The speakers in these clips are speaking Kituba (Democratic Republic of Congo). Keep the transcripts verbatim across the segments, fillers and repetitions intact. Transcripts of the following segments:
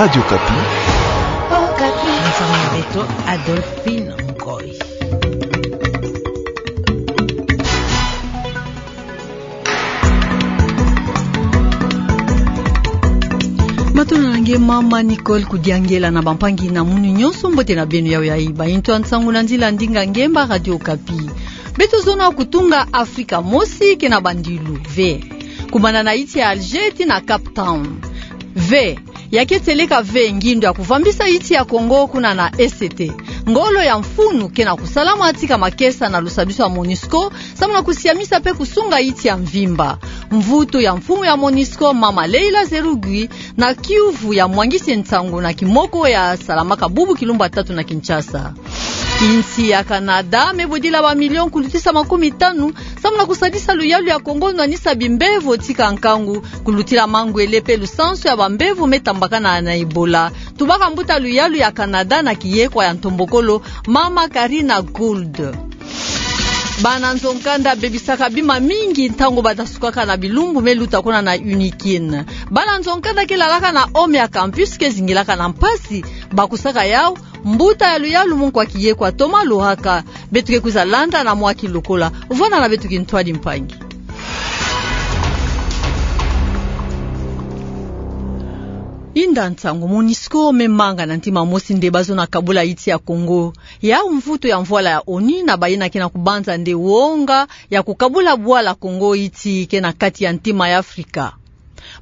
Radio Okapi. Okapi. Mfumu na beto Adolphine Ngoy. Matondo na nge mama Nicole Kudiangela na bampangi na munu nyonso, mbote na beno. Yayo yayi bayintu ya nsangu na nzila ndinga ngemba Radio Okapi. Beto zona kutunga Afrika mosi ke na bandilu ve, kumana na insi ya Alger tii na Cape Town. Ve, ya ke seleka ve ngindu ya kuvambisa insi ya Kongo kuna na E C T. Ngolo ya mfunu ke na kusalama tii ka makesa na lusadisu ya MONUSCO, samu na kusiamisa pe kusunga insi ya mvimba. Mvutu ya mfumu ya MONUSCO, mama Leila Zerrougui, na kiuvu ya mwangisi nsangu na kimoko ya salamaka bubu kilumbu ya tatu na Kinshasa. Insi ya Canada me bodila ba million kulutisa makumi tanu, samu na kusadisa luyalu ya Kongo nwanisa bimbevo tii ka nkangu, kulutila mangwele pe lusansu ya bambevo me tambakana na Ebola. Tubaka mbuta luyalu ya Canada na kiyekwa ya ntombokolo, mama Karina Gould. Bana nzo-nkanda bebisaka bima mingi ntangu badasukaka na bilumbu me luta kuna na Unikin. Bana nzo-nkanda ke lalaka na home ya campus ke zingilaka na mpasi, bakusaka yau, mbuta ya luyalu mu nkwa kiyekwa Thomas Lohaka. Beto ke kwiza landa na mwa kilokola, vwanda na beto kintwadi mpangi. Inda nsangu, MONUSCO me manga na ntima mosi nde bazona kabula insi ya Kongo. Yau mvutu ya mvwala ya ONU na bayina ke na kubanza nde wonga ya kukabula bwala Kongo insi ke na kati ya ntima ya Afrika.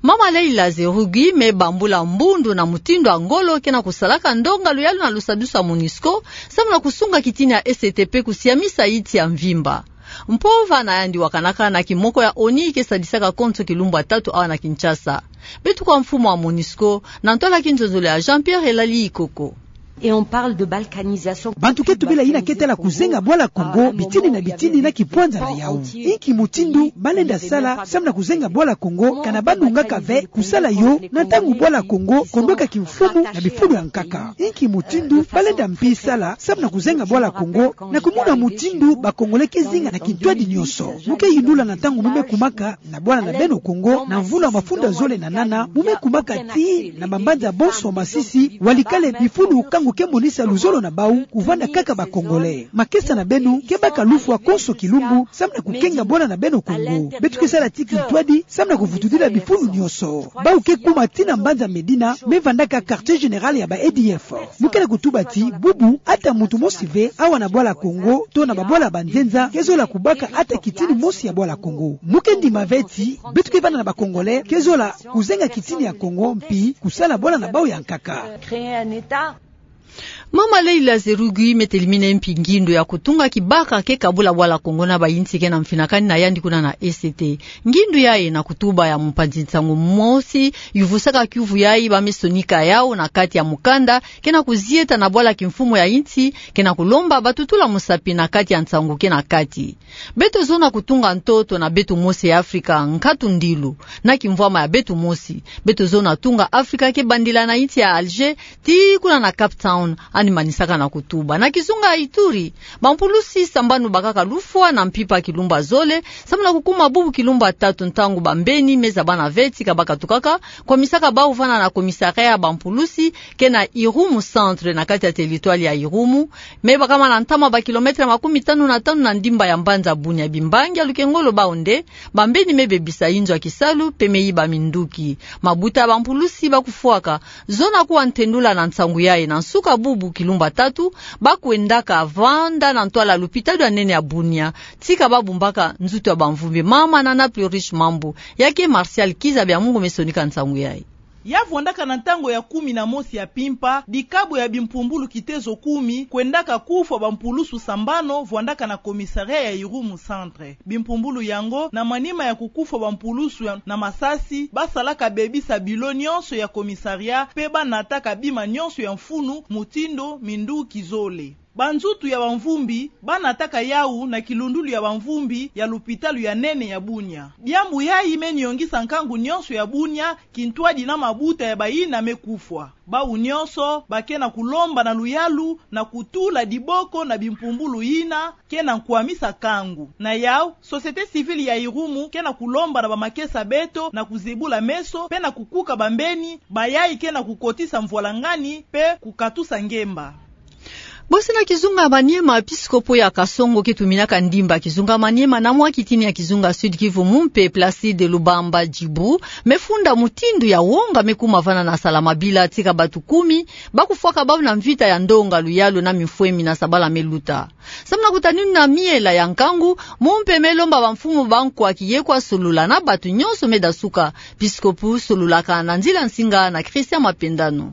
Mama Leila Zerrougui me bambula mbundu na mutindu ya ngolo ke na kusalaka ndonga luyalu na lusadisu ya MONUSCO, samu na kusunga kitini ya E C T pe kusiamisa insi ya mvimba. Mpova na yandi wakanaka na kimoko ya ONU ke sadisaka konso kilumbu ya tatu awa na Kinshasa. Beto kwa mfumu wa MONUSCO, na ntwala kinzonzolo ya Jean-Pierre Elali Ikoko. Et on parle de balkanisation. Bantu ke tubila yina ke tala kuzenga bwala Kongo bitini na bitini na kipwanza na yau. Inki mutindu ba lenda sala samu na kuzenga bwala Kongo, kana ba nungaka ve kusala yo na ntangu bwala Kongo kondoka kimfumu na bifulu ya nkaka? Inki mutindu ba lenda mpi sala samu na kuzenga bwala Kongo, na kumona mutindu ba Congolais ke zinga na kintwadi nyonso? Mu ke yindula na ntangu mu me kumaka na bwala na beno Kongo, na mvula mafunda zole na nana, mu me kumaka tii na bambanza bonso masisi, walikale bifulu kangu ke monisa luzolo na bau kuvanda kaka ba Congolais. Makesa na beno ke baka lufwa konso kilumbu, samu na kukenga bwala na beno Kongo. Beto ke sala tii kintwadi, samu na kuvutudila bifulu nyonso. Bau ke kuma tii na mbanza Medina, me vandaka quartier général ya ba A D F. Mu ke na kutuba tii, bubu, ata muntu mosi ve, awa na bwala Kongo, to na babwala ba nzenza, ke zola kubaka ata kitini mosi ya bwala Kongo. Mu ke ndima ve tii, beto ke vanda na ba Congolais, ke zola kuzenga kitini ya Kongo, mpi kusala bwala na bau ya nkaka. Mama Leila Zerrougui me telimina mpi ngindu ya kutunga kibaka ke kabula bwala Kongo na bayinsi ke na mfinakani na yandi kuna na E C T. Ngindu yayi na kutuba ya mpanzi nsangu mosi yuvusaka kiuvu yayi ba me sonika yau na kati ya mukanda, ke na kuzieta na bwala kimfumu ya insi, ke na kulomba batutula musapi na kati ya nsangu ke na kati. Beto zona kutunga ntoto na beto mosi ya Afrika, nkatu ndilu, na kimvwama ya beto mosi. Beto zona tunga Afrika ke bandila na insi ya Alger, tii kuna na Cape Town, yandi manisaka na kutuba. Na kizunga ya Ituri, bampulusi sambanu bakaka lufwa na mpimpa kilumbu ya zole, samu na kukuma bubu kilumbu ya tatu ntangu bambeni me zabana ve tii ka bakatukaka, kwamisaka bau vanda na commissariat ya bampulusi, ke na Irumu Centre na kati ya territoire ya Irumu, me bakama na ntama ba kilomètre makumi tanu na tanu na ndimba ya mbanza Bunia. Bimbangi ya lukengolo bau nde, bambeni me bebisa inzo ya kisalu, pe me yiba minduki. Mabuta ya bampulusi bakufwaka, zona kuwa ntendula na nsangu yayi na nsuka bubu kilumbu ya tatu, bakwendaka vanda na ntwala lupitalu ya nene ya Bunia, tii ka babumbaka nzutu ya bamvumbi. Mama Nana Plurish Mambu, ya ke Martial Kiza Byamungu me sonika nsangu yayi. Ya vwandaka na ntangu ya kumi na mosi ya mpimpa, dikabu ya bimpumbulu kitezo kumi kwendaka kufwa bampulusu sambanu vwandaka na commissariat ya Irumu Centre. Bimpumbulu yango, na manima ya kukufwa bampulusu ya, na masasi, basalaka bebisa bilo nyonso ya commissariat, pe banataka bima nyonso ya mfunu, mutindu minduki zole. Banzutu ya bamvumbi banataka yau na kilundulu ya bamvumbi ya lupitalu ya nene ya Bunia. Diambu yayi meni yongisa nkangu nyonso ya Bunia, kintwadi na mabuta ya bayina me kufwa. Bau nyonso ba ke na kulomba na luyalu na kutula diboko na bimpumbulu yina ke na nkwamisa nkangu. Na yau, société civile ya Irumu ke na kulomba na bamakesa beto na kuzebula meso, pe na kukuka bambeni bayayi ke na kukotisa mvwalangani pe kukatusa ngemba. Bosi na kizunga Maniema, episkopo ya Kasongo ke tuminaka ndimba kizunga Maniema na mwa kitini ya kizunga Sud-Kivu, Mumpe Placide Lubamba Djibu, me funda mutindu ya wonga me kuma vana na Salamabila, tika batu kumi ba kufwaka bau na mvita ya ndonga luyalu na mimfwemi na sabala me luta. Samu na kutanina miela ya nkangu, Mumpe me lomba bamfumu bankwa kiyekwa solula na batu nyonso me dasuka. Episkopo solulaka na nzila nsinga na Christian Mapendano.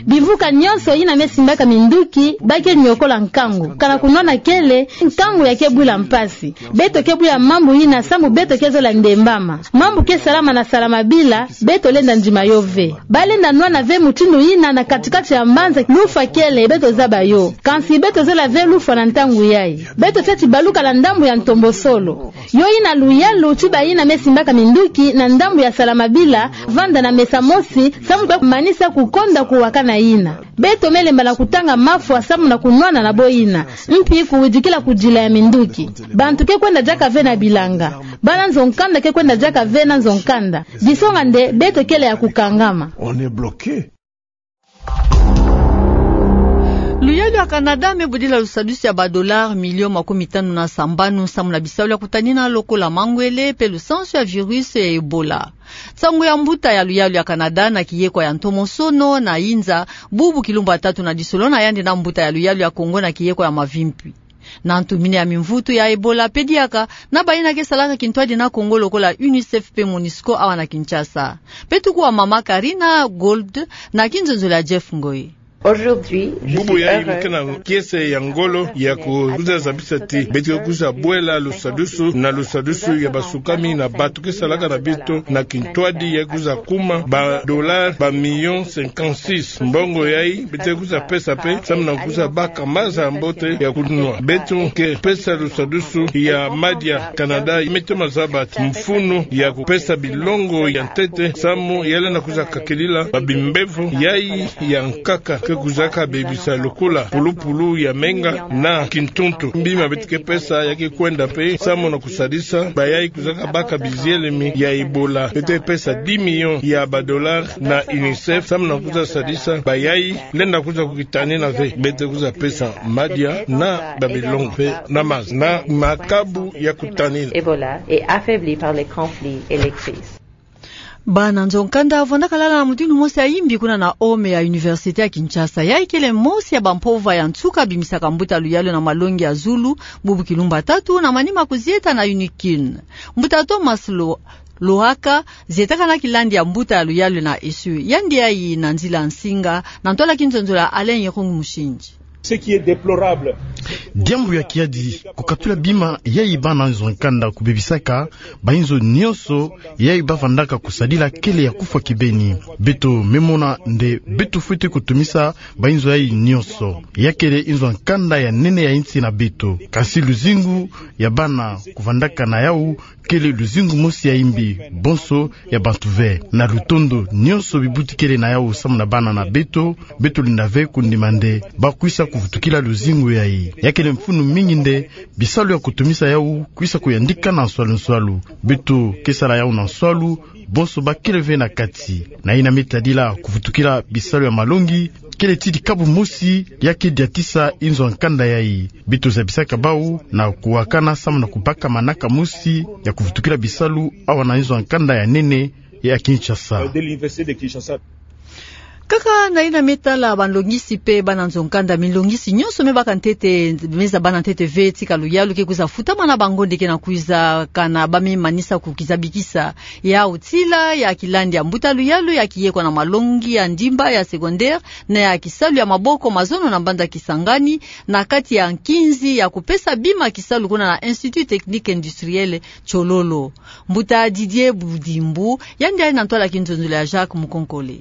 Bimvuka nyonso yina me simbaka minduki ba ke niokola nkangu, kana kunwana kele, nkangu ya ke bwila mpasi. Beto ke bwila mambu yina samu beto ke zola ndembama. Mambu ke salama na Salamabila, beto lenda ndima yo ve. Ba lenda nwana ve mutindu yina na kati-kati ya mbanza, lufwa kele, beto zaba yo. Kansi beto zela ve lufwa na ntangu yayi. Beto tiati baluka na ndambu ya ntombosolo. Yo yina luyalu ti bayina me simbaka minduki na ndambu ya Salamabila, vanda na mesa mosi, samu kwe kumanisa kukonda kuwakana yina. Beto me lemba na kutanga mafwa samu na kunwana na bo yina. Mpi kuwidikila kudila ya minduki. Bantu ke kwenda diaka ve na bilanga. Bana nzo-nkanda ke kwenda diaka ve na nzo-nkanda. Disonga nde beto kele ya kukangama. Luyalu ya Canada me budila lusadusu ya ba dollars millions makumi tanu na sambanu samu na bisalu ya kutanina lokola mangwele pe lusansu ya virus ya Ebola. Nsangu ya mbuta ya luyalu ya Canada na kiyekwa ya ntomosono na inza, bubu kilumbu ya tatu na disolo na yandi na mbuta ya luyalu ya Congo na kiyekwa ya mavimpi. Na ntu mina ya mimvutu ya Ebola pe diaka na bayina ke salaka kintwadi na Congo lokola UNICEF pe MONUSCO awa na Kinshasa. Pe tuku wa mama Karina Gould na kinzonzolo ya Jeff Ngoy. Bubu yayi mu ke na kiese ya ngolo ya kwiza zabisa ti beto ke kwiza bwela lusadusu na lusadusu ya basukami na bantu ke salaka na beto na kintwadi ya kwiza kuma ba dollars ba millions cinquante-six. Mbongo yayi beto ke kwiza pesa pe samu na kwiza baka maza ya mbote ya kunwa. Beto ke pesa lusadusu ya madia. Canada me toma zaba ti mfunu ya kupesa bilongo ya ntete samu ya lenda kwiza kakilila ba bimbevo yayi ya nkaka ke kwizaka bebisa lokola pulupulu ya menga na kintuntu. Mbima beto ke pesa ya ke kwenda pe samu na kusadisa bayayi kwizaka baka bizielemi ya Ebola. Beto ke pesa dix millions ya ba dollars na UNICEF samu na kwiza sadisa bayayi lenda kwiza kukitanina ve. Beto ke kwiza pesa madia na ba bilongo pe na maza na makabu ya kutanina. Ebola est affaibli par les conflits et les crises. Bana nzo-nkanda vandaka lala na mutindu mosi ya imbi kuna na ome ya Université ya Kinshasa. Yayi kele mosi ya bampova ya nsuka bimisaka mbuta luyalu na malongi ya zulu, bubu kilumbu ya tatu na manima kuzieta na UNIKIN. Mbuta Thomas Lo-, Lohaka, zietaka na kilandi ya mbuta ya luyalu na ESSU. Yandi yayi na nzila nsinga, na ntwala kinzonzolo ya Alain Irung Mushindji. Ce qui est déplorable. Diambu ya kiadi, kukatula bima yayi bana nzo-nkanda kubebisaka, ba inzo nyonso yayi bavandaka kusadila kele ya kufwa kibeni. Beto me mona nde beto fwete kutumisa ba inzo yayi nyonso. Ya kele inzo-nkanda ya nene ya insi na beto. Kasi luzingu ya bana kuvandaka na yau kele luzingu mosi ya imbi, bonso ya bantu ve. Na lutondo nyonso bibuti kele na yau samu na bana na beto, beto lenda ve kundima nde ba kwisa kuvutukila luzingu yayi. Ya kele mfunu mingi nde bisalu ya kutumisa yau kwisa kuyandika na nswalu-nswalu. Beto ke sala yau na nswalu, bonso ba kele ve na kati. Na yina me tadila kuvutukila bisalu ya malongi, kele ti dikabu mosi ya ke diatisa inzo-nkanda yayi. Beto zabisaka bau na kuwakana samu na kubaka manaka mosi ya kuvutukila bisalu awa na inzo-nkanda ya nene ya Kinshasa. Kaka na yina me tala banlongisi pe bana nzo-nkanda, minlongisi nyonso me baka ntete, me zabana ntete ve tika luyalu ke kwiza futama na bangonde ke na kwiza, kana ba me manisa kukizabikisa. Yau tila ya kilandi ya mbuta luyalu ya kiyekwa na malongi ya ndimba ya secondaire na ya kisalu ya maboko mazono na mbanza Kisangani, na kati ya nkinzi ya kupesa bima kisalu kuna na Institut Technique Industriel Tshololo. Mbuta Didier Budimbu, yandi yayi na ntwala kinzonzolo ya Jacques Mukonkole.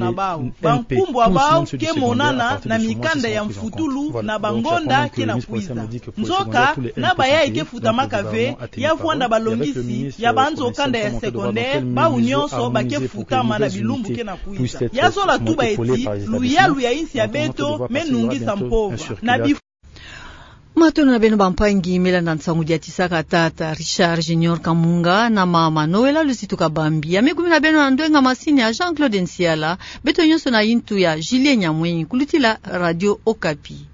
na bau. Bankumbu ya bau ke monana na mikanda ya mfutulu na bangonda ke na kwiza. Nzoka, na bayayi ke futamaka ve, ya vwanda balongisi ya banzo kanda ya secondaire, bau nyonso ba ke futama na bilumbu ke na kwiza. Ya zola tuba eti, luyalu ya insi ya beto me nungisa mpova. Na bi- Matondo na beno bampangi, me landa nsangu diatisaka tata Richard Junior Kamunga na mama Noëlla Luzitu Kabambi. Ya me kumi na beno na ndwenga masini ya Jean-Claude Nsiala, beto nyonso na intu ya Julien Nyamwenyi, kulutila Radio Okapi.